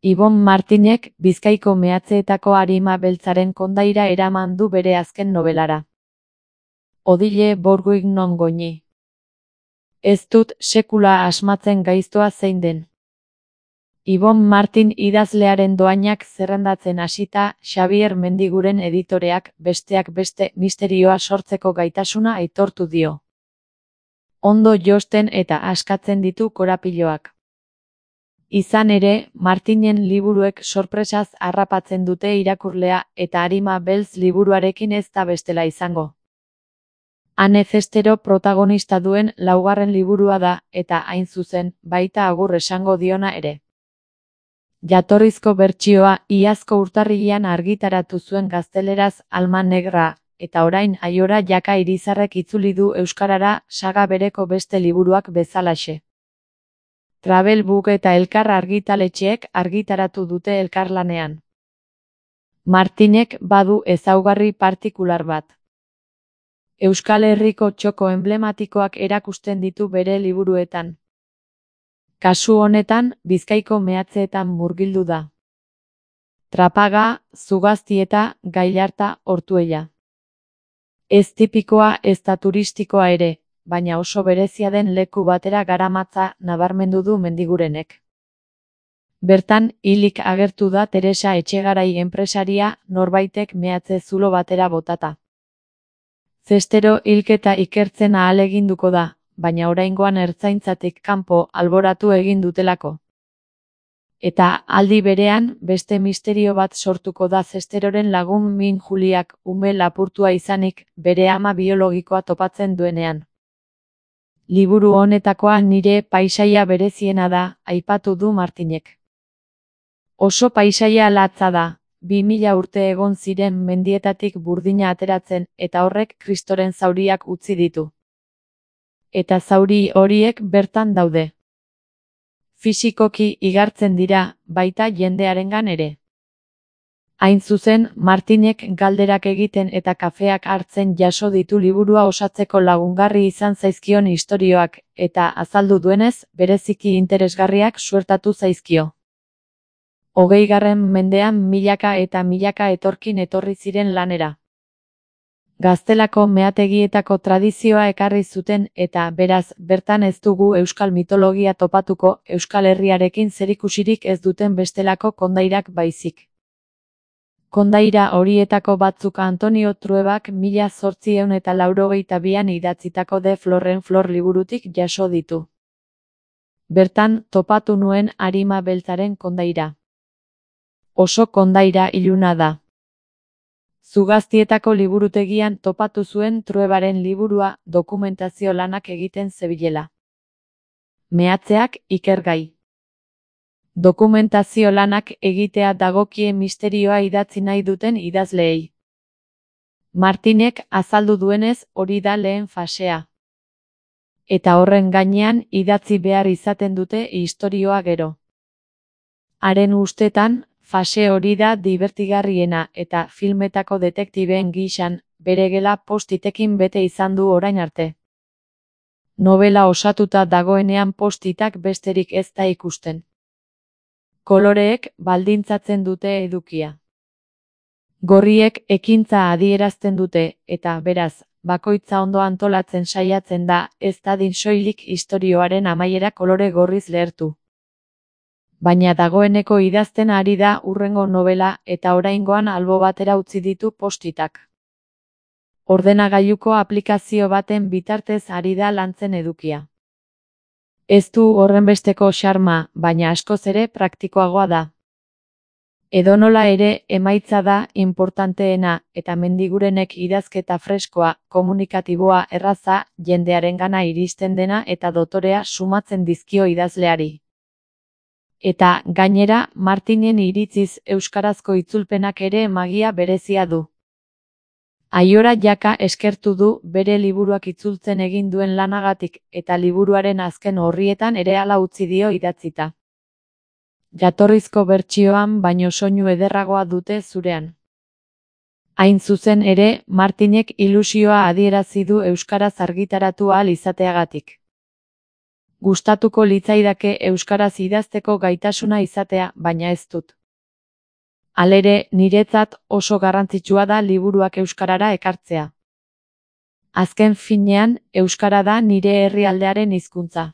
Ibon Martinek Bizkaiko meatzeetako arima beltzaren kondaira eraman du bere azken nobelara. Odile Borguig non goñi. Ez dut sekula asmatzen gaiztoa zein den. Ibon Martin idazlearen doainak zerrendatzen hasita, Xabier Mendiguren editoreak besteak beste misterioa sortzeko gaitasuna aitortu dio. Ondo josten eta askatzen ditu korapiloak. Izan ere, Martinen liburuek sorpresaz harrapatzen dute irakurlea eta arima beltz liburuarekin ez da bestela izango. Ane Zestero protagonista duen laugarren liburua da, eta hain zuzen, baita agur esango diona ere. Jatorrizko bertsioa iazko urtarrilean argitaratu zuen gazteleraz Alma Negra, eta orain Aiora Jaka Irizarrek itzuli du euskarara saga bereko beste liburuak bezalaxe. Travelbook eta Elkar argitaletxeek argitaratu dute elkarlanean. Martinek badu ezaugarri partikular bat. Euskal Herriko txoko enblematikoak erakusten ditu bere liburuetan. Kasu honetan, Bizkaiko meatzeetan murgildu da. Trapaga, Zugaztieta, Gailarta, Ortuella. Ez tipikoa ez da turistikoa ere, baina oso berezia den leku batera garamatza nabarmendu du Mendigurenek. Bertan, hilik agertu da Teresa Etxegarai enpresaria norbaitek meatze zulo batera botata. Zestero hilketa ikertzen ahaleginduko da, baina oraingoan ertzaintzatik kanpo alboratu egin dutelako. Eta aldi berean, beste misterio bat sortuko da Zesteroren lagun Min Juliak ume lapurtua izanik bere ama biologikoa topatzen duenean. Liburu honetakoa nire paisaia bereziena da, aipatu du Martinek. Oso paisaia latza da, 2000 urte egon ziren mendietatik burdina ateratzen eta horrek Kristoren zauriak utzi ditu. Eta zauri horiek bertan daude. Fisikoki igartzen dira, baita jendearengan ere. Hain zuzen, Martinek galderak egiten eta kafeak hartzen jaso ditu liburua osatzeko lagungarri izan zaizkion istorioak, eta azaldu duenez, bereziki interesgarriak suertatu zaizkio. 20. mendean milaka eta milaka etorkin etorri ziren lanera. Gaztelako meategietako tradizioa ekarri zuten eta, beraz, bertan ez dugu euskal mitologia topatuko, Euskal Herriarekin zerikusirik ez duten bestelako kondairak baizik. Kondaira horietako batzuk Antonio Truebak 1882an idatzitako De Florren Flor liburutik jaso ditu. Bertan, topatu nuen arima beltzaren kondaira. Oso kondaira iluna da. Zugaztietako liburutegian topatu zuen Truebaren liburua dokumentazio lanak egiten zebilela. Meatzeak ikergai. Dokumentazio lanak egitea dagokie misterioa idatzi nahi duten idazleei. Martinek azaldu duenez hori da lehen fasea. Eta horren gainean idatzi behar izaten dute istorioa gero. Haren ustetan, fase hori da dibertigarriena eta filmetako detektibeen gisan, bere gela postitekin bete izan du orain arte. Novela osatuta dagoenean postitak besterik ez da ikusten. Koloreek baldintzatzen dute edukia. Gorriek ekintza adierazten dute, eta beraz, bakoitza ondo antolatzen saiatzen da, ez dadin soilik istorioaren amaiera kolore gorriz lehertu. Baina dagoeneko idazten ari da hurrengo novela eta oraingoan albo batera utzi ditu postitak. Ordenagailuko aplikazio baten bitartez ari da lantzen edukia. Ez du horrenbesteko xarma, baina askoz ere praktikoagoa da. Edonola ere, emaitza da inportanteena eta Mendigurenek idazketa freskoa, komunikatiboa, erraza, jendearengana iristen dena eta dotorea sumatzen dizkio idazleari. Eta, gainera, Martinen iritziz euskarazko itzulpenak ere magia berezia du. Aiora Jaka eskertu du bere liburuak itzultzen egin duen lanagatik eta liburuaren azken orrietan ere hala utzi dio idatzita. Jatorrizko bertsioan baino soinu ederragoa dute zurean. Hain zuzen ere, Martinek ilusioa adierazi du euskaraz argitaratu ahal izateagatik. Gustatuko litzaidake euskaraz idazteko gaitasuna izatea, baina ez dut. Halere, niretzat oso garrantzitsua da liburuak euskarara ekartzea. Azken finean, euskara da nire herrialdearen hizkuntza.